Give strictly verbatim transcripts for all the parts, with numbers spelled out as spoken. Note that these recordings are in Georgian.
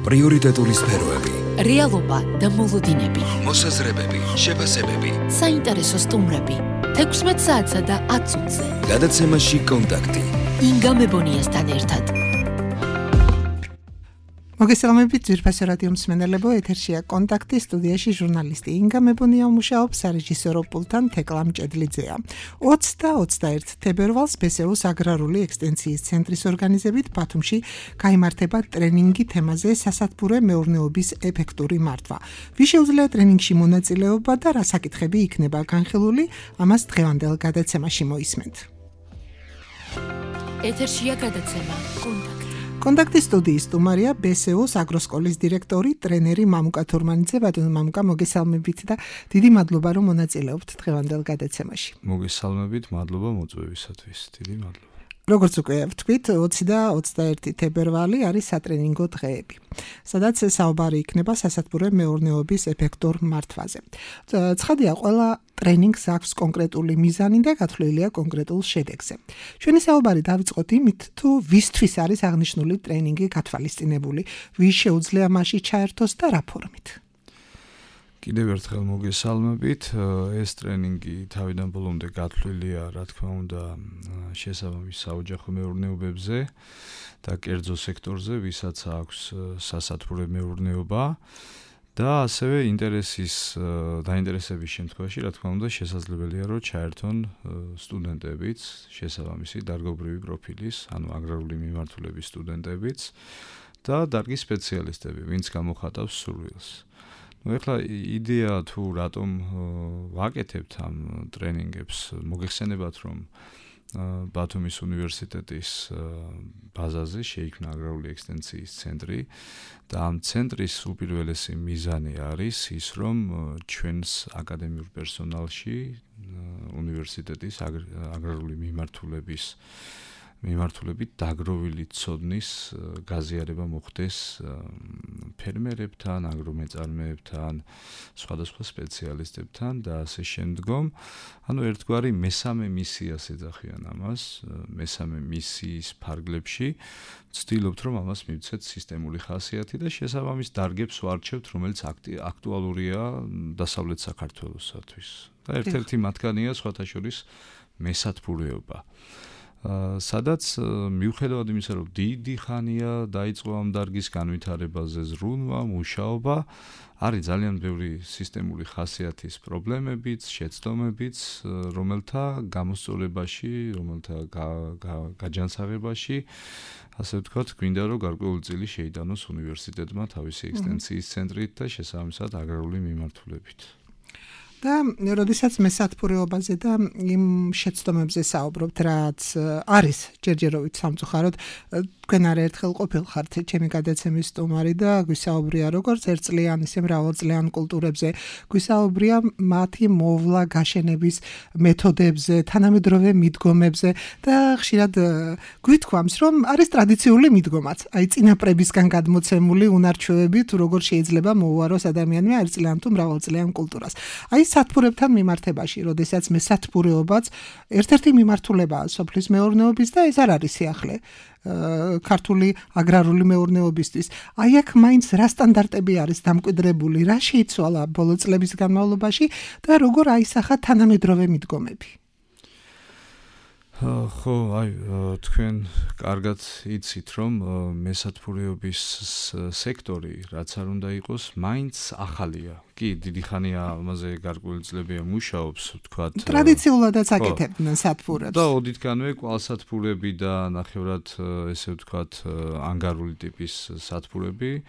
პრიორიტეტული სფეროები, რეალობა და მოლოდინები, მოსაზრებები, შეფასებები, საინტერესო სტუმრები, თექვსმეტ საათსა და ათს ოცზე. გადაცემაში კონტაქტი. ინგა მებონიასთან ერთად. მოგესალმებით ძვირფასო რადიო მსმენელებო, ეთერშია კონტაქტი, სტუდიაში ჟურნალისტი ინგა მებონია მუშაობს, სარეჟისორო პულტთან თეკლა მჭედლიძეა. ოცი და ოცდაერთი თებერვალს ბესეუს აგრარული ექსტენციის ცენტრის ორგანიზებით ბათუმში გაიმართება ტრენინგი თემაზე სასათბურე მეურნეობის ეფექტური მართვა. ვის შეუძლია ტრენინგში მონაწილეობა და რა საკითხები იქნება განხილული, ამას დღევანდელ გადაცემაში მოისმენთ. ეთერშია გადაცემა კონტაქტი. კონტაქტის სტუდიის სტუმარია ბესეუს აგროსკოლის დირექტორი, ტრენერი მამუკა თურმანიძე. ბატონო მამუკა, მოგესალმებით და დიდი მადლობა რომ მონაწილეობთ დღევანდელ გადაცემაში. მოგესალმებით, მადლობა მოწვევისათვის. დიდი მადლობა. როგორც უკვე ვთქვით, ოცი და ოცდაერთი თებერვალი არის სატრენინგო დღეები, სადაც საუბარი იქნება სასათბურე მეურნეობის ეფექტურ მართვაზე. ცხადია, ყველა ტრენინგს აქვს კონკრეტული მიზანი და გათვლილია კონკრეტულ შედეგზე. ჩვენი საუბარი დავიწყოთ იმით, თუ ვისთვის არის აღნიშნული ტრენინგი გათვალისწინებული, ვის შეუძლია მასში ჩაერთოს და რა ფორმით. კიდევ ერთხელ მოგესალმებით. ეს ტრენინგი თავიდან ბოლომდე გათვლილია, რა თქმა უნდა, შესაბამის საოჯახო მეურნეობებზე და კერძო სექტორზე, ვისაც აქვს სასათბურე მეურნეობა და ასევე ინტერესის დაინტერესების შემთხვევაში, რა თქმა უნდა, შესაძლებელია, რომ ჩაერთონ სტუდენტებიც, შესაბამისი დარგობრივი პროფილის, ანუ აგრარული მიმართულების სტუდენტებიც და დარგის სპეციალისტები, ვინც გამოხატავს სურვილს. Ну, ეხლა იდეა თუ რატომ ვაკეთებთ ამ ტრენინგებს, მოგეხსენებათ, რომ ბათუმის უნივერსიტეტის ბაზაზე შეიქმნა აგრარული ექსტენციის ცენტრი და ამ ცენტრის უპირველესი მიზანი არის ის, რომ ჩვენს აკადემიურ პერსონალში უნივერსიტეტის აგრარული მიმართულების მიმართულებით დაგროვილი ცოდნის გაზიარება მოხდეს ფერმერებთან, აგრომეწარმეებთან, სხვადასხვა სპეციალისტებთან და ასე შემდგომ. ანუ ერთგვარი მესამე მისიას ეძახიან ამას, მესამე მისიის ფარგლებში ვცდილობთ, რომ ამას მივცეთ სისტემური ხასიათი და შესაბამის დარგებს ვარჩევთ, რომელიც აქტუალურია დასავლეთ საქართველოსათვის. და ერთ-ერთი მათგანია სხვათა შორის მესათბურეობა. სადაც მიუხედავად იმისა, რომ დიდი ხანია დაიწყო ამ დარგის განვითარებაზე ზრუნვა, მუშაობა, არის ძალიან ბევრი სისტემური ხასიათის პრობლემებიც, შეცდომებიც, რომელთა გამოსწორებაში, რომელთა გაჯანსაღებაში, ასე ვთქვათ, გვინდა რომ გარკვეული წილი შეიტანოს უნივერსიტეტმა თავისი ექსტენციის ცენტრით და შესაბამისად აგრარული მიმართულებით. და როდესაც მესათბურეობაზე და იმ შეცდომებზე საუბრობთ, რაც არის ჯერჯერობით სამწუხაროდ, თქვენ არაერთხელ ყოფილხართ ჩემი გადაცემის სტუმარი და გვისაუბრია როგორც ერთწლიან, ისე მრავალწლიან კულტურებზე, გვისაუბრია მათი მოვლა გაშენების მეთოდებზე, თანამედროვე მიდგომებზე და ხშირად გვითქვამს, რომ არის ტრადიციული მიდგომაც, აი წინაპრებისგან გადმოცემული უნარჩვევები, თუ როგორ შეიძლება მოუაროს ადამიანმა ერთწლიან თუ მრავალწლიან კულტურას. აი სათბურებთან მიმართებაში, როდესაც მესათბურეობაც ერთ-ერთი მიმართულებაა სოფლის მეურნეობის და ეს არ არის სიახლე ქართული აგრარული მეურნეობისთვის. აი აქ მაინც რა სტანდარტები არის დამკვიდრებული, რა შეიცვალა ბოლო წლების განმავლობაში და როგორ აისახა თანამედროვე მიდგომები. ხო, აი, თქვენ კარგად იცით, რომ მესათბურეობის სექტორი, რაც არ უნდა იყოს, მაინც ახალია. კი, დიდი ხანია ამაზე გარკვეული წლებია მუშაობს, ვთქვათ. ტრადიციულადაც აკეთებდნენ სათბურებს. და ოდითგანვე კვალსათბურები და ნახევრად, ესე ვთქვათ, ანგარული ტიპის სათბურები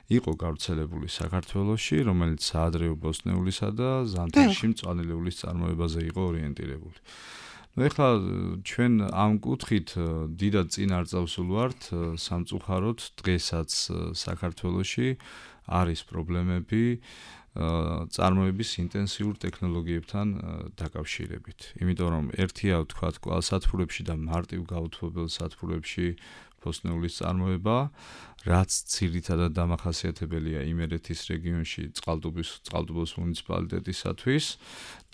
იყო გავრცელებული საქართველოში, რომელიც საადრეო ბოსტნეულისა და ზამთარში მწვანელეულის წარმოებაზე იყო ორიენტირებული. ну ეხლა ჩვენ ამ კუთხით დიდად წინ არ წავსულვართ, სამწუხაროდ დღესაც საქართველოში არის პრობლემები წარმოების ინტენსიურ ტექნოლოგიებთან დაკავშირებით. იმიტომ რომ ერთია ვთქვათ კვალსათბურებში და მარტივ გაუთბობელ სათბურებში ფოსტნეულის წარმოება, რაც ძირითადად დამახასიათებელია იმერეთის რეგიონში წყალტუბოს წყალტუბოს მუნიციპალიტეტისათვის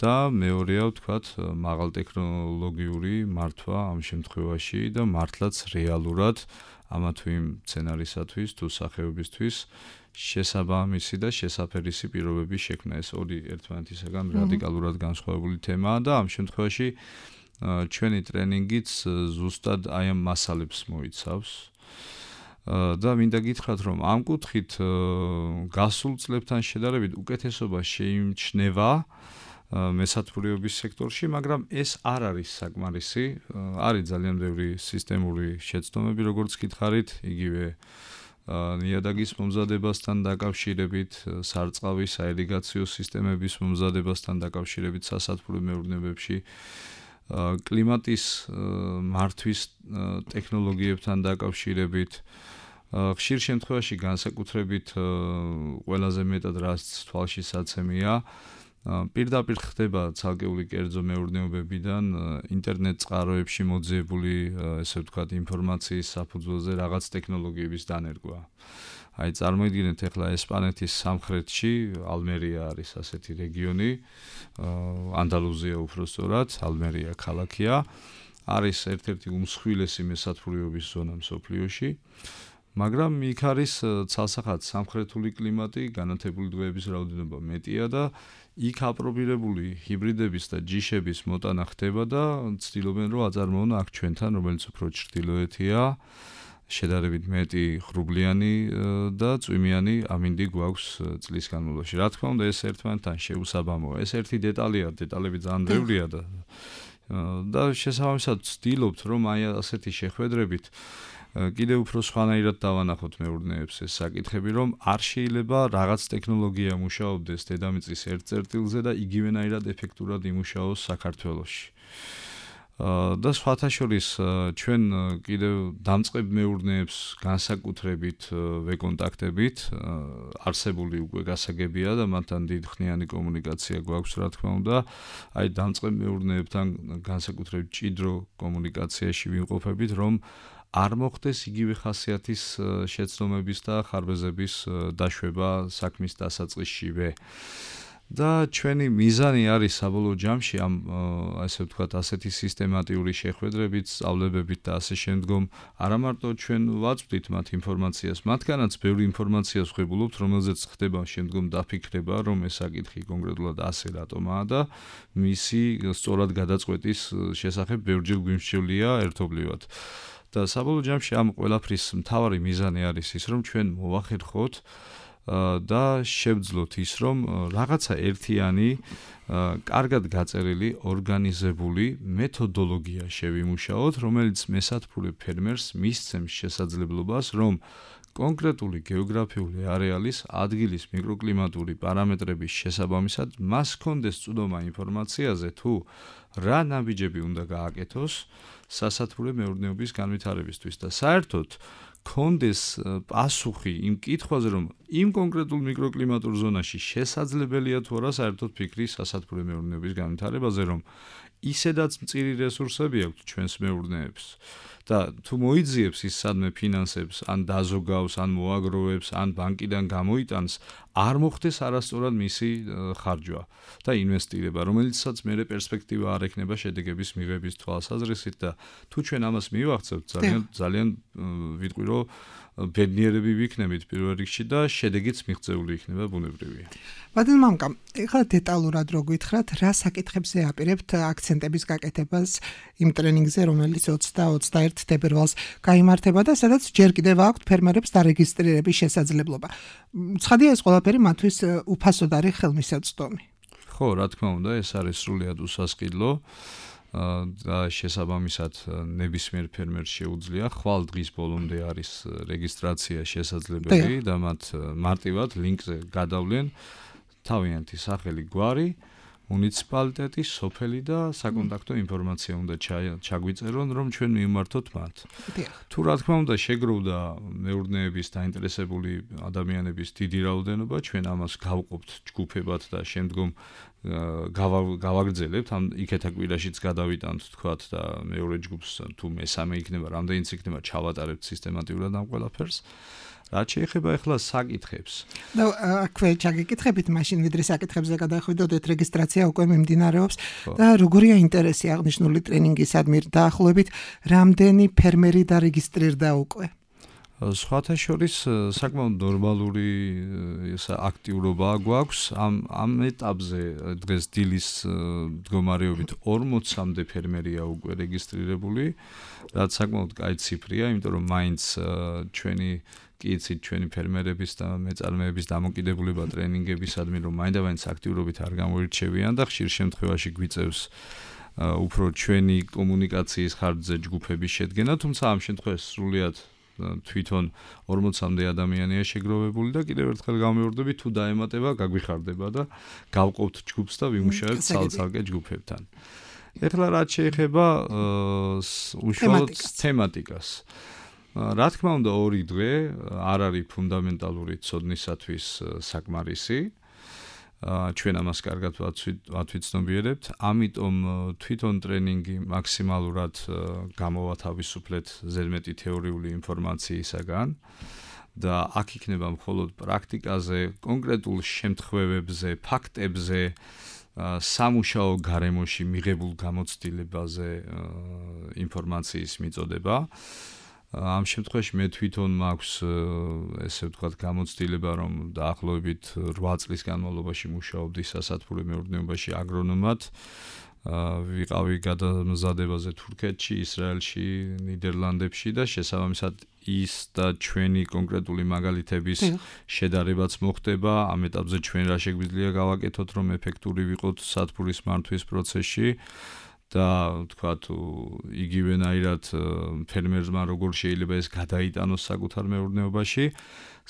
და მეორეა ვთქვათ მაღალტექნოლოგიური მართვა ამ შემთხვევაში და მართლაც რეალურად ამა თუ იმ სცენარისათვის თუ სახეობისთვის შესაბამისი და შესაფერისი პირობების შექმნა. ეს ორი ერთმანეთისაგან რადიკალურად განსხვავებული თემაა და ამ შემთხვევაში ჩვენი ტრენინგიც ზუსტად აი ამ მასალებს მოიცავს. და მინდა გითხრათ, რომ ამ კუთხით გასულ წლებთან შედარებით უკეთესობა შეიმჩნევა მესათბურეობის სექტორში, მაგრამ ეს არ არის საკმარისი. არის ძალიან ბევრი სისტემური შეცდომები, როგორც გითხარით, იგივე ნიადაგის მომზადებასთან დაკავშირებით, სარწყავის საირიგაციო სისტემების მომზადებასთან დაკავშირებით სასათბურე მეურნეობებში, კლიმატის მართვის ტექნოლოგიებთან დაკავშირებით, ხშირ შემთხვევაში განსაკუთრებით ყველაზე მეტად რაც თვალში საცემია, პირდაპირ ხდება ცალკეული კერძო მეურნეობებიდან ინტერნეტ წყაროებში მოძიებული, ესე ვთქვათ, ინფორმაციის საფუძველზე რაღაც ტექნოლოგიების დანერგვა. აი წარმოიდგინეთ ახლა ესპანეთის სამხრეთში ალმერია არის ასეთი რეგიონი, ანდალუზია უბრალოდ, ალმერია ქალაქია, არის ერთ-ერთი უმსხვილესი მესათბურეობის ზონა მსოფლიოში. მაგრამ იქ არის ცალსახად სამხრეთული კლიმატი, განათებული დღეების რაოდენობა მეტია და იქ აპრობირებული ჰიბრიდების და ჯიშების მოტანა ხდება და ცდილობენ რომ აწარმოონ აქ ჩვენთან, რომელიც უფრო ჩრდილოეთია, შედარებით მეტი ღრუბლიანი და წვიმიანი ამინდი გვაქვს წლის განმავლობაში. რა თქმა უნდა, ეს ერთმანეთთან შეუსაბამოა. ეს ერთი დეტალია, დეტალები ძალიან ბევრია და და შესაბამისად ცდილობთ რომ აი ასეთი შეხვედრებით კიდევ უფრო სხვანაირად დავანახოთ მეურნეებს ეს საკითხები, რომ არ შეიძლება რაღაც ტექნოლოგია მუშაობდეს დედამიწის ერთ წერტილზე და იგივენაირად ეფექტურად იმუშაოს საქართველოში. და სხვათა შორის ჩვენ კიდევ დამწყებ მეურნეებს განსაკუთრებით ვეკონტაქტებით, არსებული უკვე გასაგებია და მათთან დიდხნიანი კომუნიკაცია გვაქვს, რა თქმა უნდა, აი დამწყებ მეურნეებთან განსაკუთრებით ჭიდრო კომუნიკაციაში ვიმყოფებით, რომ არ მოხდეს იგივე ხასიათის შეცდომების და ხარბეზების დაშვება საქმის დასაწყისშივე. და ჩვენი მიზანი არის საბოლოო ჯამში ამ ასე ვთქვათ ასეთი სისტემატიური შეხვედრებით, სწავლებებით და ასე შემდგომ არა მარტო ჩვენ ვაწვდით მათ ინფორმაციას, მათგანაც ბევრი ინფორმაციას ვღებულობთ, რომელზეც ხდება შემდგომ დაფიქრება, რომ ეს საკითხი კონკრეტულად ასე რატომაა და მისი სწორად გადაწყვეტის შესახებ ბევრჯერ გვიმსჯელია ერთობლივად. და საბოლოო ჯამში ამ ყველაფრის მთავარი მიზანი არის ის, რომ ჩვენ მოვახერხოთ და შევძლოთ ის, რომ რაღაცა ერთიანი, კარგად გაწერილი, ორგანიზებული მეთოდოლოგია შევიმუშაოთ, რომელიც მესათბურე ფერმერს მისცემს შესაძლებლობას, რომ კონკრეტული გეოგრაფიული არეალის ადგილის მიკროკლიმატური პარამეტრების შესაბამისად მას ჰქონდეს წვდომა ინფორმაციაზე, თუ რა ნაბიჯები უნდა გააკეთოს სასათბურე მეურნეობის განვითარებისთვის და საერთოდ კონდეს პასუხი იმ კითხვაზე, რომ იმ კონკრეტულ მიკროკლიმატურ ზონაში შესაძლებელია თუ არა საერთოდ ფიქრი სასათბურე მეურნეობის განვითარებაზე, რომ ისედაც მწირი რესურსები აქვს ჩვენს მეურნეებს და თუ მოიძიებს ის სადმე ფინანსებს, ან დაზოგავს, ან მოაგროვებს, ან ბანკიდან გამოიტანს, არ მოხდეს არასწორად მისი ხარჯვა და ინვესტირება, რომელიცაც მერე პერსპექტივა არ ექნება შედეგების მიღების თვალსაზრისით და თუ ჩვენ ამას მივახცევთ, ძალიან ძალიან ვიტყვი რომ ბედნიერები ვიქნებით პირველ რიგში და შედეგიც მიღწეული იქნება ბუნებრივია. ბატონ მამკა, ეხლა დეტალურად რო გითხრათ, რა საკითხებზე აპირებთ აქცენტების გაკეთებას იმ ტრენინგზე, რომელიც ოცი და ოცდაერთი თებერვალს გაიმართება და სადაც ჯერ კიდევ აქვთ ფერმერებს დარეგისტრირების შესაძლებლობა. ცხადია ეს ყველაფერი მათთვის უფასოდ არის ხელმისაწვდომი. ხო, რა თქმა უნდა, ეს არის სრულიად უსასყიდლო. და შესაბამისად ნებისმიერ ფერმერს შეუძლია ხვალ დღის ბოლომდე არის რეგისტრაცია შესაძლებელი და მათ მარტივად ლინკზე გადავლენ თავიანთი სახელი, გვარი, მუნიციპალიტეტი, სოფელი და საკონტაქტო ინფორმაცია უნდა ჩაგვიწერონ, რომ ჩვენ მივმართოთ მათ. თუ რა თქმა უნდა შეგროვდა მეურნეების დაინტერესებული ადამიანების დიდი რაოდენობა, ჩვენ ამას გავყოფთ ჯგუფებად და შემდგომ გავაგრძელებთ, ამ იქეთა კვირაშიც გადავიტანთ თქვათ და მეორე ჯგუფს თუ მესამე იქნება, რამდენიც იქნება, ჩავატარებთ სისტემატურად ამ ყველაფერს. რაც შეეხება ახლა საკითხებს. და აქვე ჩაგიკითხებით, მაშინ ვიდრე საკითხებზე გადახვიდოდეთ, რეგისტრაცია უკვე მიმდინარეობს და როგორია ინტერესი აღნიშნული ტრენინგისადმი დაახლოებით, რამდენი ფერმერი დარეგისტრირდა უკვე? სხვათა შორის საკმაოდ ნორმალური აქტიურობა გვაქვს ამ ამ ეტაპზე დღეს დილის მდგომარეობით ორმოცამდე ფერმერია უკვე რეგისტრირებული, რაც საკმაოდ კაი ციფრია, იმიტომ რომ მაინც ჩვენი კი იცით ჩვენი ფერმერების და მეწარმეების დამოკიდებულება ტრენინგებისადმი, რომ მაინდამაინც აქტიურობით არ გამოირჩევიან და ხშირ შემთხვევაში გვიწევს უფრო ჩვენი კომუნიკაციის ხარჯზე ჯგუფების შედგენა, თუმცა ამ შემთხვევაში სრულიად თვითონ ორმოცამდე ადამიანია შეგროვებული და კიდევ ერთხელ გამეორდები, თუ დაემატება, გაგვიხარდება და გავყოფთ ჯგუფს და ვიმუშავებთ ცალ-ცალკე ჯგუფებთან. ეხლა რაც შეეხება უშუალოდ თემატიკას. რა თქმა უნდა, ორი დღე არ არის ფუნდამენტალური ცოდნისათვის საკმარისი. ჩვენ ამას კარგად ვათვიცნობიერებთ, ამიტომ თვითონ ტრენინგი მაქსიმალურად გამოვათავისუფლეთ ზედმეტი თეორიული ინფორმაციისაგან და აქ იქნება მხოლოდ პრაქტიკაზე, კონკრეტულ შემთხვევებზე, ფაქტებზე, სამუშაო გარემოში მიღებულ გამოცდილებაზე ინფორმაციის მიწოდება. ამ შემთხვევაში მე თვითონ მაქვს ესე ვთქვათ გამოცდილება, რომ დაახლოებით რვა წლის განმავლობაში მუშაობდი სასათბურე მეურნეობაში აგრონომად. ვიყავი გადამზადებაზე თურქეთში, ისრაელში, ნიდერლანდებში და შესაბამისად ის და ჩვენი კონკრეტული მაგალითების შედარებაც მოხდება. ამ ეტაპზე ჩვენ რა შეგვიძლია გავაკეთოთ, რომ ეფექტური ვიყოთ სათბურის მართვის პროცესში. და თქვათ იგივენაირად ფერმერმა როგორ შეიძლება ეს გადაიტანოს საკუთარ მეურნეობაში.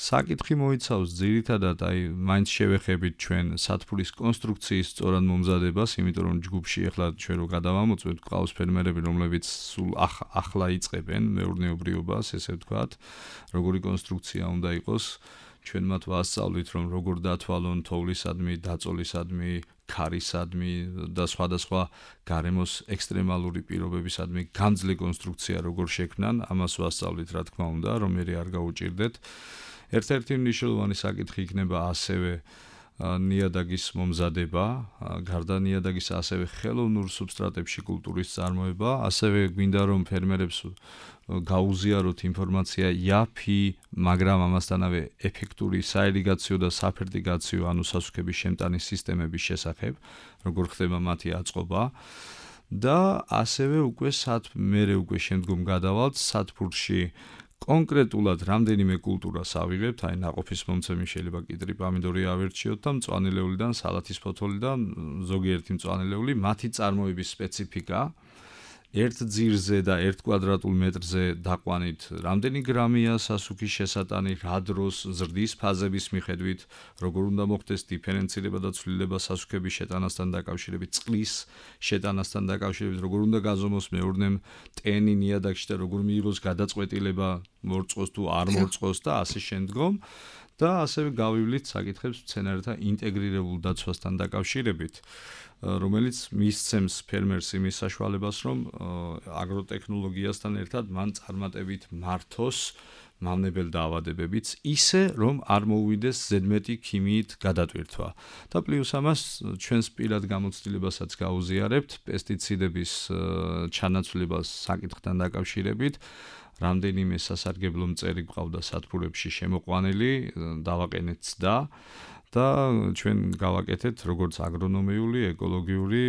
საკითხი მოიცავს ძირითადად აი მაინც შევეხებით ჩვენ სათბურის კონსტრუქციის სწორად მომზადებას, იმიტომ რომ ჯგუფში ახლა ჩვენ რო გადავამოწმებთ, ყავს ფერმერები, რომლებიც სულ ახლა იწყებენ მეურნეობრიობას, ესე ვთქვათ, როგორი კონსტრუქცია უნდა იყოს. ჩვენ მათ ვასწავლით, რომ როგორ დათვალონ თოვლისადმი, დაწოლისადმი, ქარისადმი და სხვადასხვა გარემოს ექსტრემალური პირობებისადმი გამძლე კონსტრუქცია როგორ შექმნან, ამას ვასწავლით, რა თქმა უნდა, რომ მე არ გაუჭირდეთ. ერთ-ერთი მნიშვნელოვანი საკითხი იქნება ასევე ნიადაგის მომზადება, გარდა ნიადაგის ასევე ხელოვნურ სუბსტრატებში კულტურის წარმოება, ასევე გვინდა რომ ფერმერებს გაუზიაროთ ინფორმაცია იაფი, მაგრამ ამასთანავე ეფექტური საირიგაციო და საფერტიგაციო, ანუ სასუქების შემტანის სისტემების შესახებ, როგორ ხდება მათი აწყობა და ასევე უკვე მერე უკვე შემდგომ გადავალთ სათბურში კონკრეტულად რამდენიმე კულტურას ავიღებთ, აი ნაყოფის მომცემი შეიძლება კიტრი, პამიდორი ავერჩიოთ და მწვანელეულიდან სალათის ფოთოლიდან ზოგიერთი მწვანელეული, მათი წარმოების სპეციფიკა ერთ ძირზე და ერთ კვადრატულ მეტრზე დაყვანით რამდენი გრამია სასუქის შესატანი, რა დროს, ზრდის ფაზების მიხედვით, როგორ უნდა მოხდეს დიფერენცირება და ცვლილება სასუქების შეტანასთან დაკავშირებით, წყლის შეტანასთან დაკავშირებით, როგორ უნდა გაზომოს მეურნემ ტენი ნიადაგში და როგორ მიიღოს გადაწყვეტილება მორწყოს თუ არ მორწყოს და ასე შემდგომ. და ასევე გავივლით საკითხებს მცენარეთა ინტეგრირებულ დაცვასთან დაკავშირებით, რომელიც მისცემს ფერმერს იმის საშუალებას, რომ აგროტექნოლოგიასთან ერთად მან წარმატებით მართოს მავნებელ დაავადებებიც, ისე რომ არ მოუვიდეს ზედმეტი ქიმიით გადატვირთვა. და პლუს ამას ჩვენს პირად გამოცდილებასაც გაუზიარებთ პესტიციდების ჩანაცვლებას საკითხთან დაკავშირებით. რამდენიმე სასარგებლო მწერი გვყავდა სათბურებში შემოყვანილი, დავაყენეთ ცდა და ჩვენ გავაკეთეთ როგორც აგრონომიული, ეკოლოგიური,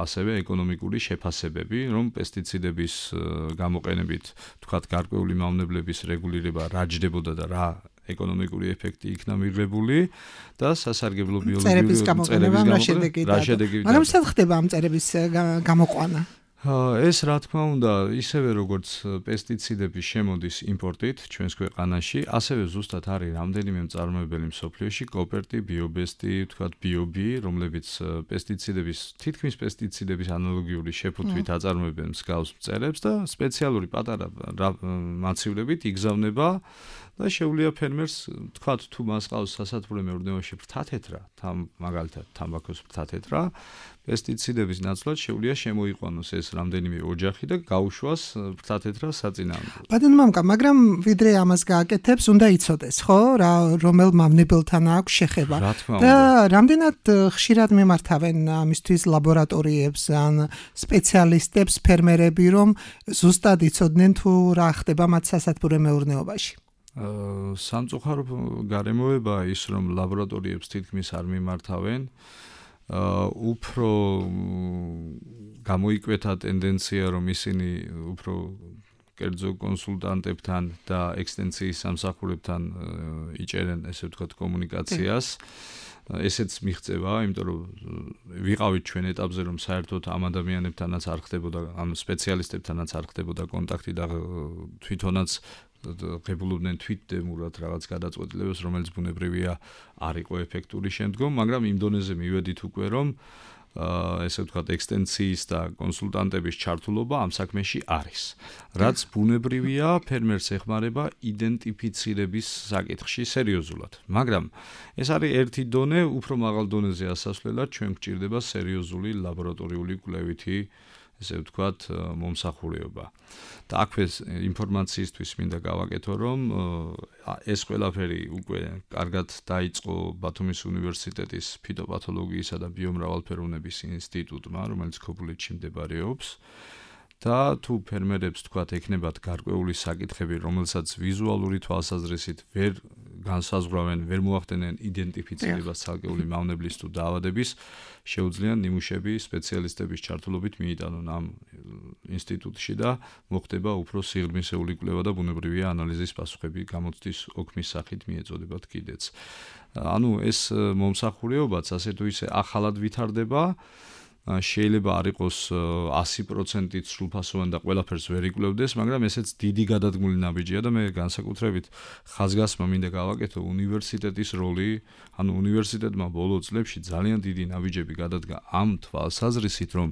ასევე ეკონომიკური შეფასებები, რომ პესტიციდების გამოყენებით, თქვათ, გარკვეული მავნებლების რეგულირება რა ჯდებოდა და რა ეკონომიკური ეფექტი იქნა მიღებული და სასარგებლო ბიოლოგიური მწერების გამოყენება რა შედეგი. მაგრამ სად ხდება ამ მწერების გამოყვანა? ეს რა თქმა უნდა, ისევე როგორც პესტიციდები შემოდის იმპორტით ჩვენს ქვეყანაში, ასევე ზუსტად არის რამდენიმე მწარმოებელი მსოფლიოში, კოპერტი, ბიობესტი, ვთქვათ, ბიობი, რომლებიც პესტიციდების, თითქმის პესტიციდების ანალოგიური შეფუთვით აწარმოებენ მსგავს მწერებს და სპეციალური პატარა მაცივლებით იგზავნება და შეუძლია ფერმერს, ვთქვათ, თუ მას ყავს სასათბურე მეურნეობაში ფრთათეთრა, თან მაგალითად თამბაქოს ფრთათეთრა, პესტიციდების ნაცვლად შეუძლია შემოიყვანოს ეს რამდენიმე ოჯახი და გაუშვას ფრთათეთრა საწინააღმდეგოდ. ბატონო მამკა, მაგრამ ვიდრე ამას გააკეთებს, უნდა იცოდეს, ხო, რა რომელ მავნებელთან აქვს შეხება და რამდენად ხშირად მიმართავენ ამისთვის ლაბორატორიებს ან სპეციალისტებს ფერმერები, რომ ზუსტად იცოდნენ თუ რა ხდება მათ სასათბურე მეურნეობაში. სამწუხარო გარემოება ის, რომ ლაბორატორიებს თითქმის არ მიმართავენ. უფრო გამოიკვეთა ტენდენცია, რომ ისინი უფრო კერძო კონსულტანტებთან და ექსტენციის სამსახურებთან იჭერენ, ესე ვთქვათ, კომუნიკაციას. ესეც მიღწევა, იმიტომ რომ ვიყავით ჩვენ ეტაპზე, რომ საერთოდ ამ ადამიანებთანაც არ ხდებოდა, ამ სპეციალისტებთანაც არ ხდებოდა კონტაქტი და თვითონაც ღებულობდნენ თვითდემურად რაღაც გადაწყვეტილებებს, რომელიც ბუნებრივია არ იყო ეფექტური შემდგომ, მაგრამ იმ დონეზე მივედით უკვე, რომ ესე ვთქვათ, ექსტენციის და კონსულტანტების ჩართულობა ამ საქმეში არის. რაც ბუნებრივია, ფერმერს ეხმარება იდენტიფიცირების საკითხში სერიოზულად. მაგრამ ეს არის ერთი დონე, უფრო მაღალ დონეზე ასასვლელად ჩვენ გვჭირდება სერიოზული ლაბორატორიული კვლევითი ესე ვთქვათ, მომსახურება. და აქვე ინფორმაციისთვის მინდა გავაკეთო, რომ ეს ყველაფერი უკვე კარგად დაიწყო ბათუმის უნივერსიტეტის ფიტოპათოლოგიისა და ბიომრავალფეროვნების ინსტიტუტმა, რომელიც ქობულეთში მდებარეობს. და თუ ფერმერებს თქვათ ექნებათ გარკვეული საკითხები, რომელსაც ვიზუალური თვალსაზრისით ვერ განსაზღვრავენ, ვერ მოახდენენ იდენტიფიცირებას ცალკეული მავნებლის თუ დაავადების, შეუძლიან ნიმუშები სპეციალისტების ჩართულობით მიიტანონ ამ ინსტიტუტში და მოხდება უფრო სიღრმისეული კვლევა და ბუნებრივია ანალიზის პასუხები გამოცდის ოქმის სახით მიეწოდებათ კიდეც. ანუ ეს მომსახურებაც ასე თუ ისე ახალად ვითარდება. შეიძლება არ იყოს ასი პროცენტით სრულფასოვანი და ყველაფერს ვერ იკვლევდეს, მაგრამ ესეც დიდი გადადგმული ნაბიჯია და მე განსაკუთრებით ხაზგასმა მინდა გავაკეთო უნივერსიტეტის როლი, ანუ უნივერსიტეტმა ბოლო წლებში ძალიან დიდი ნაბიჯები გადადგა ამ თვალსაზრისით, რომ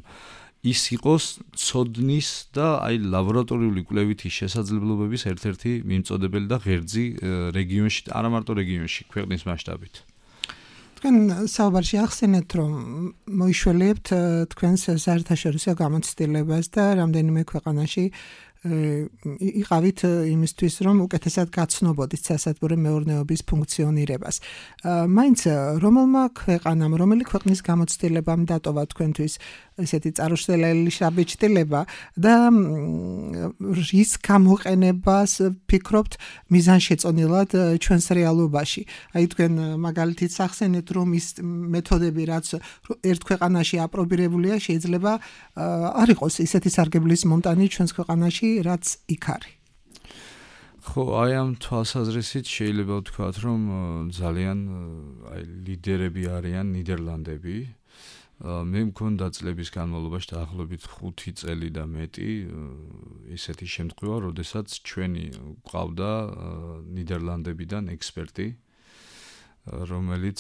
ის იყოს ცოდნის და აი ლაბორატორიული კვლევითი შესაძლებლობების ერთ-ერთი მიმწოდებელი და ღერძი რეგიონში, არა მარტო რეგიონში, ქვეყნის მასშტაბით. თქვენ საუბარში ახსენეთ, რომ მოიშველებთ თქვენს საერთაშორისო გამოცდილებას და რამდენიმე ქვეყანაში იყავით იმისთვის, რომ უკეთესად გაცნობოდით სასათბურე მეურნეობის ფუნქციონირებას. მაინც რომელმა ქვეყანამ, რომელი ქვეყნის გამოცდილებამ დატოვა თქვენთვის ესეთი წარუშლელი შაბეჭდილება და რის გამოყენებას ფიქრობთ მიზანშეწონილად ჩვენს რეალობაში. აი თქვენ მაგალითით სახსენეთ, რომ ის მეთოდები, რაც ერთ ქვეყანაში აპრობირებულია, შეიძლება არ იყოს ისეთი სარგებლის მომტანი ჩვენს ქვეყანაში, რაც იქ არის. ხო, აი ამ თვალსაზრისით შეიძლება ვთქვათ, რომ ძალიან აი ლიდერები არიან ნიდერლანდები. მე მქონდა წლების განმავლობაში დაახლოებით ხუთი წელი და მეტი ისეთი შემთხვევა, როდესაც ჩვენი ყავდა ნიდერლანდებიდან ექსპერტი, რომელიც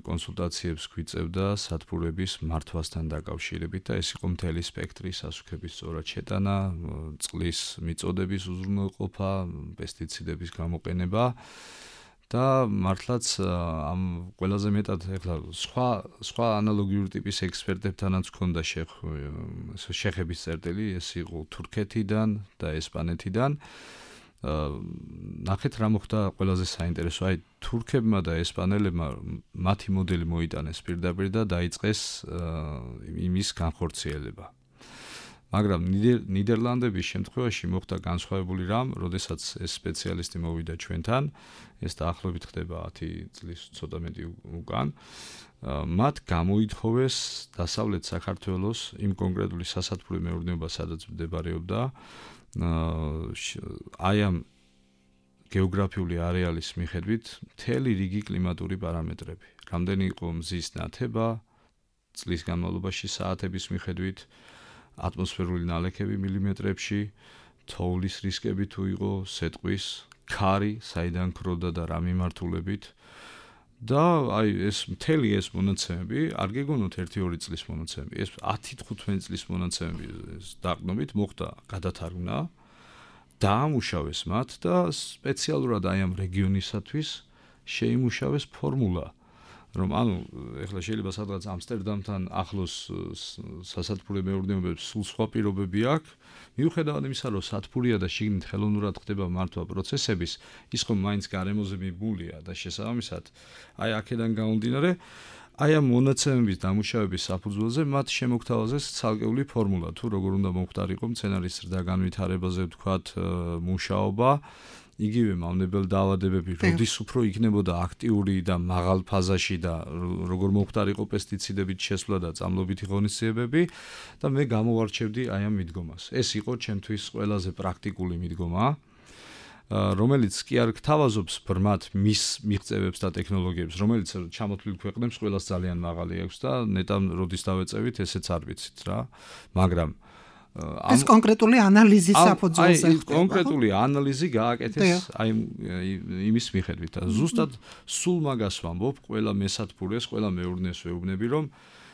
კონსულტაციებს გვიწევდა სათბურების მართვასთან დაკავშირებით და ეს იყო მთელი სპექტრი სასუქების სწორად შეტანა, წყლის მიწოდების უზრუნველყოფა, პესტიციდების გამოყენება და მართლაც ამ ყველაზე მეტად ეხლა სხვა სხვა ანალოგიური ტიპის ექსპერტებთანაც ჰქონდა შეხების წერტილი, ეს იყო თურქეთიდან და ესპანეთიდან. ნახეთ რა მოხდა ყველაზე საინტერესო, აი თურქებმა და ესპანელებმა მათი მოდელი მოიტანეს პირდაპირ და დაიწყეს იმის განხორციელება. მაგრამ ნიდერლანდების შემთხვევაში მოხდა განსხვავებული რამ, როდესაც ეს სპეციალისტი მოვიდა ჩვენთან, ეს დაახლოებით ხდება ათი წლის ცოტა მეტი უკან. მათ გამოითხოვეს დასავლეთ საქართველოს იმ კონკრეტული სასათბურე მეურნეობა, სადაც მდებარეობდა აი ამ გეოგრაფიული არეალის მიხედვით მთელი რიგი კლიმატური პარამეტრები. რამდენი იყო მზის ნათება, წლის განმავლობაში საათების მიხედვით, ატმოსფერული ნალექები მილიმეტრებში, თოვლის რისკები თუ იყო, სეტყვის, ქარი, საიდან ქროდა და რა მიმართულებით. და აი ეს მთელი ეს მონაცემები, არ გეგონოთ ერთი ორი წლის მონაცემები, ეს ათი თხუთმეტი წლის მონაცემები დაყრდნობით მოხდა გადათარგმნა, დაამუშავეს მათ და სპეციალურად აი ამ რეგიონისათვის შეიმუშავეს ფორმულა, რომ ანუ ეხლა შეიძლება სადღაც ამსტერდამთან ახლოს სასათბურე მეურნეობებს სულ სხვა პირობები აქვს, მიუხედავად იმისა, რომ სათბურია და შიგნით ხელოვნურად ხდება მართვა პროცესების, ის ხომ მაინც გარემოზე მიბმულია და შესაბამისად აი აქედან გამომდინარე, აი ამ მონაცემების დამუშავების საფუძველზე მათ შემოგთავაზეს ცალკეული ფორმულა, თუ როგორ უნდა მომხდარიყო მცენარის ზრდა განვითარებაზე ვთქვათ მუშაობა, იგივე მავნებელ დაავადებები, როდის უფრო იქნებოდა აქტიური და მაღალ ფაზაში და როგორ მომხდარიყო პესტიციდებით შესვლა და წამლობითი ღონისძიებები და მე გამოვარჩევდი აი ამ მიდგომას. ეს იყო ჩემთვის ყველაზე პრაქტიკული მიდგომა, რომელიც კი არ გთავაზობს ბრმად მის მიღწევებს და ტექნოლოგიებს, რომელიც ჩამოთვლილ ქვეყნებს ყველას ძალიან მაღალი აქვს და ნეტამ როდის დავეწევით, ესეც არ ვიცით რა, მაგრამ ეს კონკრეტული ანალიზის საფუძველზე ხდება. აი, კონკრეტული ანალიზი გააკეთეს აი იმის მიხედვით. ზუსტად სულ მაგას ვამბობ, ყველა მესათბურეს, ყველა მეურნეს ვეუბნები, რომ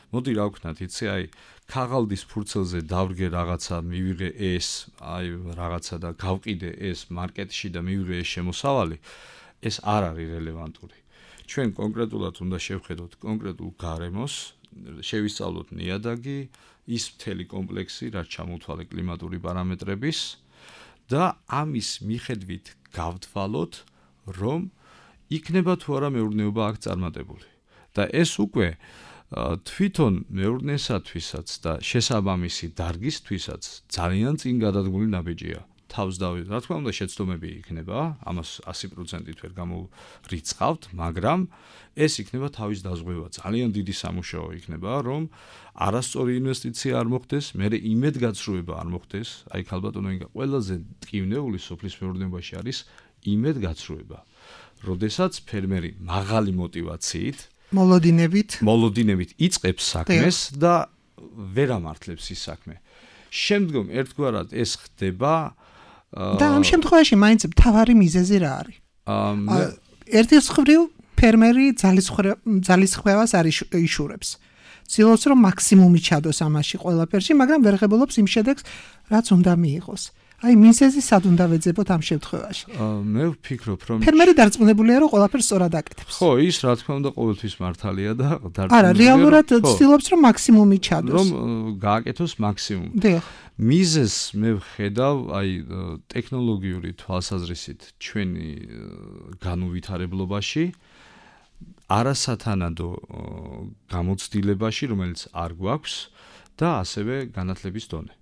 მოდი რა ვქნათ, იცი, აი, ქაღალდის ფურცელზე დავრგე რაღაცა, მივიღე ეს, აი, რაღაცა და გავყიდე ეს მარკეტში და მივიღე ეს შემოსავალი, ეს არ არის რელევანტური. ჩვენ კონკრეტულად უნდა შევხედოთ კონკრეტულ გარემოს, შევისწავლოთ ნიადაგი, ის მთელი კომპლექსი, რაც ჩამოთვალე კლიმატური პარამეტრების და ამის მიხედვით გავთვალოთ, რომ იქნება თუ არა მეურნეობა აქ წარმატებული. და ეს უკვე თვითონ მეურნესათვისაც და შესაბამისი დარგისთვისაც ძალიან წინ გადადგმული ნაბიჯია. თავს დავით, რა თქმა უნდა, შეცდომები იქნება, ამას ასი პროცენტით ვერ გამორიცხავთ, მაგრამ ეს იქნება თავის დაზღვევა. ძალიან დიდი სამუშაო იქნება, რომ არასწორი ინვესტიცია არ მოხდეს, მერე იმედგაცრუება არ მოხდეს. აი ქალბატონო ინგა, ყველაზე ტკივნეული სოფლის მეურნეობაში არის იმედგაცრუება. როდესაც ფერმერი მაღალი мотивაციით, მოლოდინებით, მოლოდინებით იწყებს საქმეს და ვერ ამართლებს ის საქმე. შემდგომ ერთგვარად ეს ხდება და ამ შემთხვევაში მაინც მთავარი მიზეზი რა არის? ერთი მხრივ ფერმერი ძალისხმევას არ იშურებს. ცდილობს რომ მაქსიმუმი ჩადოს ამაში ყველაფერში, მაგრამ ვერ ღებულობს იმ შედეგს, რაც უნდა მიიღოს. აი მიზეზი სად უნდა ვეძებოთ ამ შემთხვევაში? მე ვფიქრობ, რომ ფერმერი დარწმუნებულია, რომ ყველაფერს სწორად აკეთებს. ხო, ის რა თქმა უნდა ყოველთვის მართალია და დარწმუნებულია. არა, რეალურად ცდილობს რომ მაქსიმუმი ჩადოს. რომ გააკეთოს მაქსიმუმი. დიახ. მიზეზს მე ვხედავ, აი ტექნოლოგიური თვალსაზრისით ჩვენი განუვითარებლობაში, არასათანადო გამოცდილებაში, რომელიც არ გვაქვს და ასევე განათლების დონე.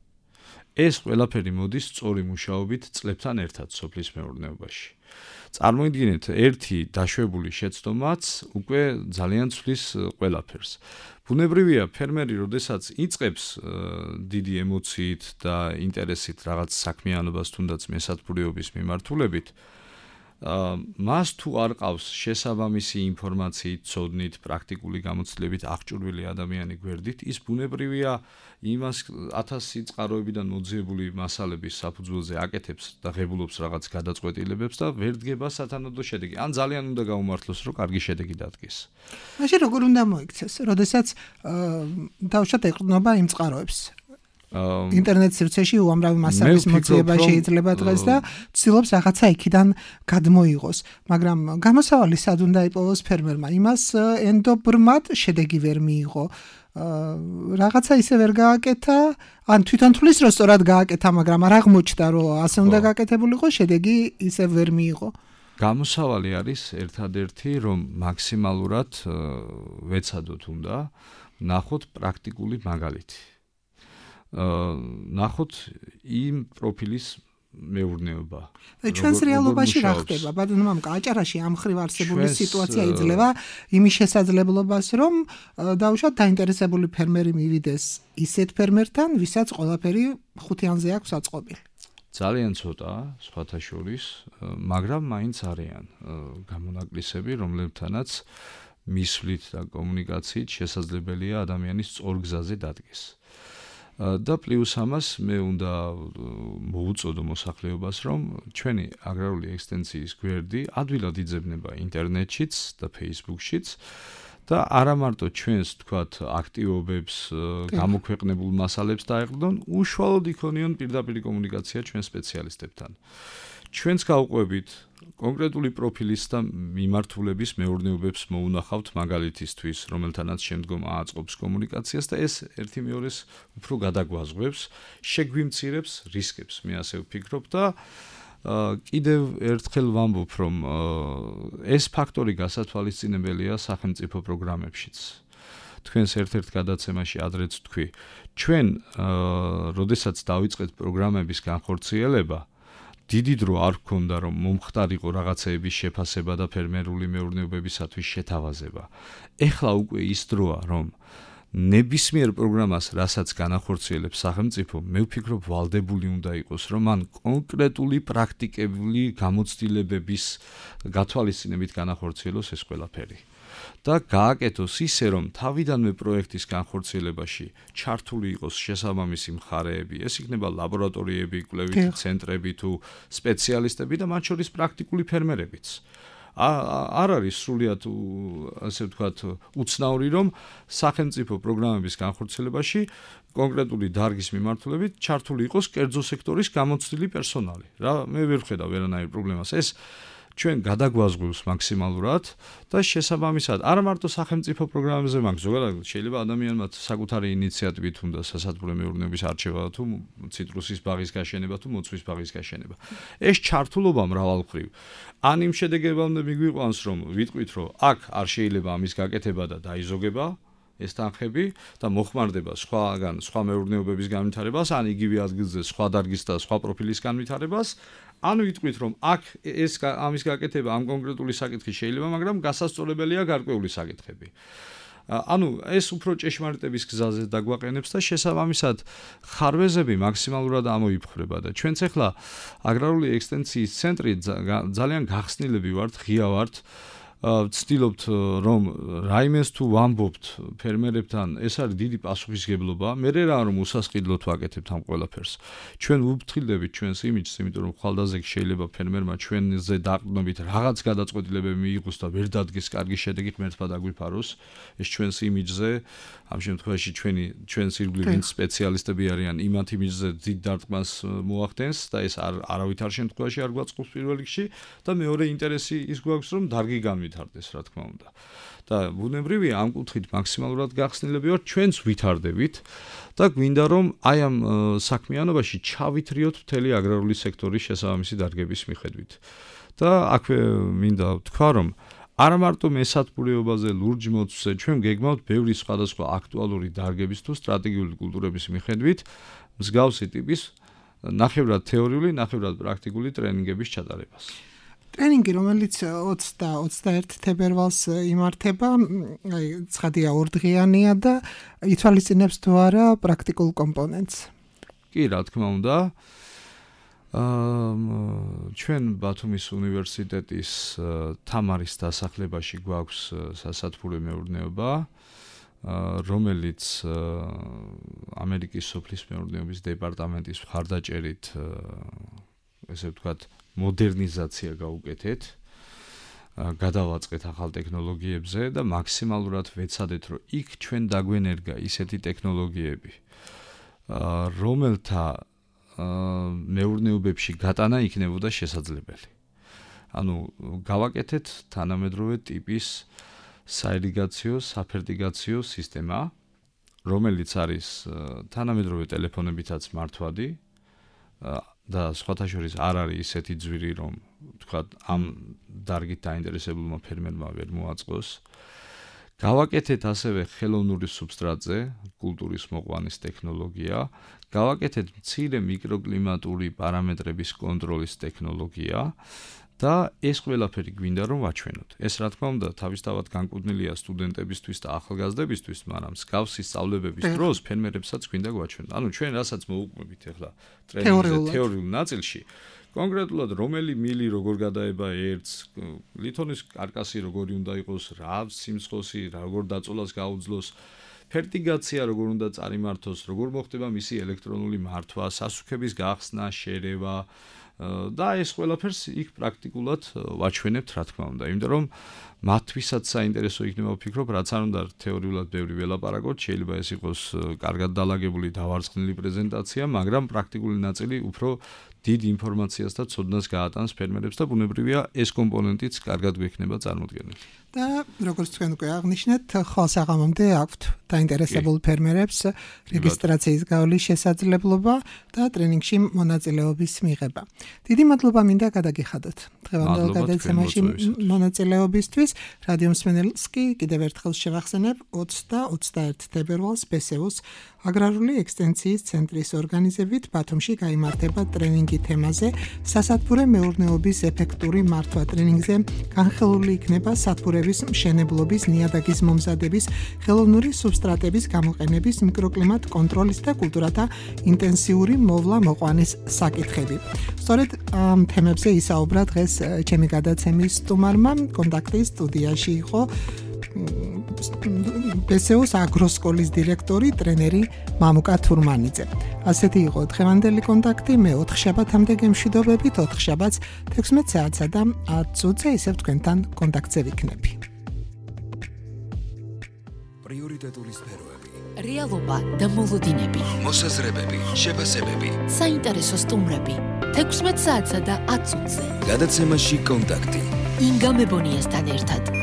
ეს ყველაფერი მოდის სწორი მუშაობით წლებთან ერთად სოფლის მეურნეობაში. წარმოიდგინეთ, ერთი დაშვებული შეცდომაც უკვე ძალიან ცვლის ყველაფერს. ბუნებრივია, ფერმერი, როდესაც იწყებს დიდი ემოციით და ინტერესით რაღაც საქმიანობას თუნდაც მესათბურეობის მიმართულებით, მას თუ არ ყავს შესაბამისი ინფორმაციით, ცოდნით, პრაქტიკული გამოცდილებით აღჭურვილი ადამიანი გვერდით, ის ბუნებრივია იმას ათასი წყაროებიდან მოძიებული მასალების საფუძველზე აკეთებს და ღებულობს რაღაც გადაწყვეტილებებს და ვერ დგება სათანადო შედეგი. ან ძალიან უნდა გაუმართლოს, რომ კარგი შედეგი დადგეს. მაშინ როგორ უნდა მოიქცეს, როდესაც დავუშვათ ეყრდნობა იმ წყაროებს? ინტერნეტ სივრცეში უამრავი მასალის მოძიება შეიძლება დღეს და ცდილობს რაღაცა იქიდან გადმოიღოს, მაგრამ გამოსავალი სად უნდა იპოვოს ფერმერმა? იმას ენდობრმად შედეგი ვერ მიიღო. რაღაცა ისე ვერ გააკეთა, ან თვითონ თulis რომ სწორად გააკეთა, მაგრამ არ აღმოჩნდა, რომ ასე უნდა გააკეთებულიყო, შედეგი ისე ვერ მიიღო. გამოსავალი არის ერთადერთი, რომ მაქსიმალურად ვეცადოთ უნდა ნახოთ პრაქტიკული მაგალითი. ნახოთ იმ პროფილის მეურნეობა. ჩვენს რეალობაში რა ხდება? ბატონო, აჭარაში ამ ხრივ არსებული სიტუაცია იძლევა იმის შესაძლებლობას, რომ დაუშვათ დაინტერესებული ფერმერი მივიდეს ისეთ ფერმერთან, ვისაც ყველაფერი ხუთიანზე აქვს აწყობილი. ძალიან ცოტა, სხვათა შორის, მაგრამ მაინც არიან გამონაკლისები, რომლებთანაც მისვლით და კომუნიკაციით შესაძლებელია ადამიანის სწორ გზაზე დადგეს. და პლუს ამას მე უნდა მოვუწოდო მოსახლეობას, რომ ჩვენი აგრარული ექსტენსიის გვერდი ადვილად იძებნება ინტერნეტშიც და Facebook-შიც და არა მარტო ჩვენს თქვათ აქტივობებს, გამოქვეყნებულ მასალებს დაეყრდონ, უშუალოდ იქონიონ პირდაპირ კომუნიკაცია ჩვენ სპეციალისტებთან. ჩვენც გავყვებით კონკრეტული პროფილის და მიმართულების მეურნეობებს მოუნახავთ მაგალითისთვის, რომელთანაც შემდგომ ააწყობს კომუნიკაციას და ეს ერთი მეორეს უფრო გადაგვაზღვევს, შეგვიმცირებს რისკებს, მე ასე ვფიქრობ და კიდევ ერთხელ ვამბობ, რომ ეს ფაქტორი გასათვალისწინებელია სახელმწიფო პროგრამებშიც. თქვენს ერთ-ერთ გადაცემაში ადრეც თქვი, ჩვენ, როდესაც დავიწყეთ პროგრამების განხორციელება, დიდი დრო არ გქონდა, რომ მომხდარიყო რაღაცეების შეფასება და ფერმერული მეურნეობებისათვის შეთავაზება. ეხლა უკვე ის დროა, რომ ნებისმიერ პროგრამას, რასაც განახორციელებს სახელმწიფო, მე ვფიქრობ, ვალდებული უნდა იყოს, რომ მან კონკრეტული პრაქტიკული გამოცდილებების გათვალისწინებით განახორციელოს ეს ყველაფერი. და გააკეთოს ისე, რომ თავიდანვე პროექტის განხორციელებაში ჩართული იყოს შესაბამისი მხარეები, ეს იქნება ლაბორატორიები, კვლევითი ცენტრები თუ სპეციალისტები და მათ შორის პრაქტიკული ფერმერებიც. არ არის სრულიად ასე ვთქვათ უცნაური, რომ სახელმწიფო პროგრამების განხორციელებაში კონკრეტული დარგის მიმართულებით ჩართული იყოს კერძო სექტორის გამოცდილი პერსონალი. რა მე ვერ ვხედავ ვერანაირ პრობლემას. ეს ჩვენ გადაგვაზღვევს მაქსიმალურად და შესაბამისად არა მარტო სახელმწიფო პროგრამებზე მაქვს, ზოგადად შეიძლება ადამიანმა საკუთარი ინიციატივით უნდა სასათბურე მეურნეობის არჩევა თუ ციტრუსის ბაღის გაშენება თუ მოცვის ბაღის გაშენება. ეს ჩართულობა მრავალმხრივ ან იმ შედეგებამდე მიგვიყვანს, რომ ვიტყვით, რომ აქ არ შეიძლება ამის გაკეთება და დაიზოგება ეს თანხები და მოხმარდება სხვაგან სხვა მეურნეობების განვითარებას, ან იგივე ადგილზე სხვა დარგის და სხვა პროფილის განვითარებას, ან ვიტყვით, რომ აქ ეს ამის გაკეთება ამ კონკრეტული საკითხი შეიძლება, მაგრამ გასასწორებელია გარკვეული საკითხები. ანუ ეს უფრო ჭეშმარიტების გზაზე დაგვაყენებს და შესაბამისად ხარვეზები მაქსიმალურად ამოიფხრება და ჩვენც ახლა აგრარული ექსტენსიის ცენტრი ძალიან გახსნილები ვართ, ღია ვართ. ვცდილობთ, რომ რაიმეს თუ ვამბობთ ფერმერებთან, ეს არის დიდი პასუხისგებლობა. მე რა რომ უსასყიდლოდ ვაკეთებთ ამ ყველაფერს. ჩვენ ვუფრთხილდებით ჩვენს იმიჯს, იმიტომ რომ ხვალდაზე შეიძლება ფერმერმა ჩვენზე დაყრდნობით რაღაც გადაწყვეტილებები მიიღოს და ვერ დადგეს კარგი შედეგით მერტმა დაგვიფაროს. ეს ჩვენს იმიჯზე, ამ შემთხვევაში ჩვენი ჩვენს ირგვლივ ვინც სპეციალისტები არიან, იმათ იმიჯზე დიდ დარტყმას მოახდენს და ეს არავითარ შემთხვევაში არ გვაწყობს პირველ რიგში და მეორე ინტერესი ის გვაქვს, რომ დარგი განვითარდეს. ვითარდეს, რა თქმა უნდა. და ბუნებრივია ამ კუთხით მაქსიმალურად გახსნილები ვართ, ჩვენც ვითარდებით და გვინდა რომ აი ამ საქმიანობაში ჩავითრიოთ მთელი აგრარული სექტორის შესაბამისი დარგების მიხედვით. და აქვე მინდა ვთქვა, რომ არა მარტო მესათბურეობაზე ლურჯ მოცვზე, ჩვენ გეგმავთ ბევრი სხვადასხვა აქტუალური დარგების თუ სტრატეგიული კულტურების მიხედვით მსგავსი ტიპის ნახევრად თეორიული, ნახევრად პრაქტიკული ტრენინგების ჩატარებას. ტრენინგი, რომელიც ოცი და ოცდაერთი თებერვალს იმართება, აი, ცხადია ორდღიანია და ითვალისწინებს თუ არა პრაქტიკულ კომპონენტს. კი, რა თქმა უნდა. აა ჩვენ ბათუმის უნივერსიტეტის თამარის დასახლებაში გვაქვს სასათბურე მეურნეობა, რომელიც ამერიკის სოფლის მეურნეობის დეპარტამენტის მხარდაჭერით ესე ვთქვათ მოდერნიზაცია გაუკეთეთ, გადავაწყეთ ახალ ტექნოლოგიებზე და მაქსიმალურად ვეცადეთ, რომ იქ ჩვენ დაგვენერგა ისეთი ტექნოლოგიები, რომელთა მეურნეობებში გატანა იქნებოდა შესაძლებელი. ანუ გავაკეთეთ თანამედროვე ტიპის საირიგაციო, საფერტიგაციო სისტემა, რომელიც არის თანამედროვე ტელეფონებითაც მართვადი და სხვათა შორის არ არის ისეთი ძვირი, რომ თქვათ ამ დარგით დაინტერესებულმა ფერმერმა ვერ მოაწყოს. გავაკეთეთ ასევე ხელოვნური სუბსტრატზე კულტურის მოყვანის ტექნოლოგია, გავაკეთეთ მცირე მიკროკლიმატური პარამეტრების კონტროლის ტექნოლოგია და ეს ყველაფერი გვინდა რომ ვაჩვენოთ. ეს რა თქმა უნდა თავისთავად განკუთვნილია სტუდენტებისთვის და ახალგაზრდებისთვის, მაგრამ მსგავსი სწავლებების დროს ფერმერებსაც გვინდა გვაჩვენოთ. ანუ ჩვენ რასაც მოუყვებით ახლა ტრენინგზე თეორიულ ნაწილში, კონკრეტულად რომელი მილი როგორ გადაება ერთს, ლითონის კარკასი როგორი უნდა იყოს, რა სიმცხოსი, როგორ დაწოლას გაუძლოს, ფერტიგაცია როგორ უნდა წარიმართოს, როგორ მოხდება მისი ელექტრონული მართვა, სასუქების გახსნა, შერევა და ეს ყველაფერს იქ პრაქტიკულად ვაჩვენებთ, რა თქმა უნდა, იმიტომ რომ მათთვისაც საინტერესო იქნება ვფიქრობ, რაც არ უნდა თეორიულად ბევრი ველაპარაკოთ, შეიძლება ეს იყოს კარგად დალაგებული დავარცხნილი პრეზენტაცია, მაგრამ პრაქტიკული ნაწილი უფრო დიდ ინფორმაციას და ცოდნას გაატანს ფერმერებს და ბუნებრივია ეს კომპონენტიც კარგად გვექნება წარმოდგენილი. და როგორც თქვენ უკვე აღნიშნეთ, ხალხსაღამომდე აქვთ დაინტერესებულ ფერმერებს რეგისტრაციის გავლის შესაძლებლობა და ტრენინგში მონაწილეობის მიღება. დიდი მადლობა მინდა გადაგიხადოთ დღევანდელ გადაცემაში მონაწილეობისთვის. რადიო მსმენელს კი კიდევ ერთხელ შევახსენებ ოცდაათი და ოცდაერთი თებერვალს ბესეუს აგრარული ექსტენციის ცენტრის ორგანიზებით ბათუმში გაიმართება ტრენინგი თემაზე სასათბურე მეურნეობის ეფექტური მართვა. ტრენინგზე განხილული იქნება სათბურების მშენებლობის, ნიადაგის მომზადების, ხელოვნური სუბსტრატების გამოყენების, მიკროკლიმატ კონტროლის და კულტურათა ინტენსიური მოვლა-მოყვანის საკითხები. სწორედ ამ თემებზე ისაუბრა დღეს ჩემი გადაცემის სტუმარმა. კონტაქტის სტუდიაში იყო ბესეუს აგროსკოლის დირექტორი, ტრენერი მამუკა თურმანიძე. ასეთი იყო დღევანდელი კონტაქტი. მე ოთხ შაბათამდე გემშვიდობებით, ოთხ შაბათს თექვსმეტ საათსა და ათ წუთზე ისევ თქვენთან კონტაქტზე ვიქნები. პრიორიტეტული სფეროები, რეალობა და მოლოდინები, მოსაზრებები, შეფასებები, საინტერესო სტუმრები. თექვსმეტ საათსა და ათ წუთზე. გადაცემაში კონტაქტი. ინგა მებონიასთან ერთად.